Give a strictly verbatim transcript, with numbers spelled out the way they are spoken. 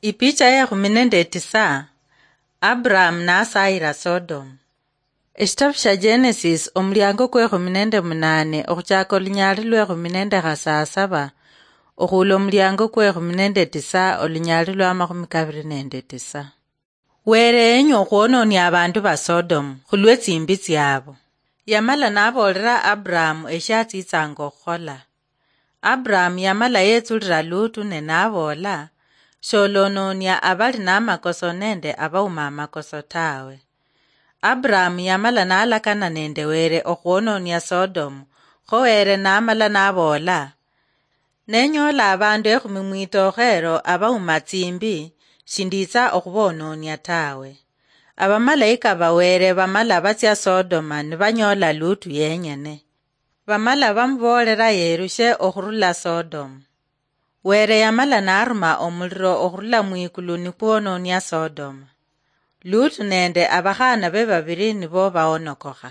Ipicha yekhumi nende tisa. Abraham nasayira Sodom. Eshitabu sha Genesis, omuliango kwekhumi nende munane, okhuchaka olunyali lwekhumi nende khasasaba, okhula omuliango kwekhumi nende tisa, olunyali lwamakhumi kabiri nende tisa. Were yenya okhwononia abandu ba Sodom khulwe tsimbi tsiabo. Yamala naboolera Abraham eshiatsitsanga okhukhola. Abraham yamala yetsulira Lutu ne naboola, "Sholononia abali namakoso nende abauma amakoso tawe." Abraham yamala nalakana nende Were okhwononia Sodom, kho Were namala naboola, "Nenyola abandu ekhumi mwitookho elo abauma tsimbi, shinditsa okhubononia tawe." Abamalayika ba Were bamala batsia Sodoma nibanyoola Lutu yenyene. Bamala bamuboolera yerushe okhurula Sodoma. Were yamala naruma omuliro okhurula mwikulu nikwononia Sodoma. Lutu nende abakhana be babiri nibo baonokokha.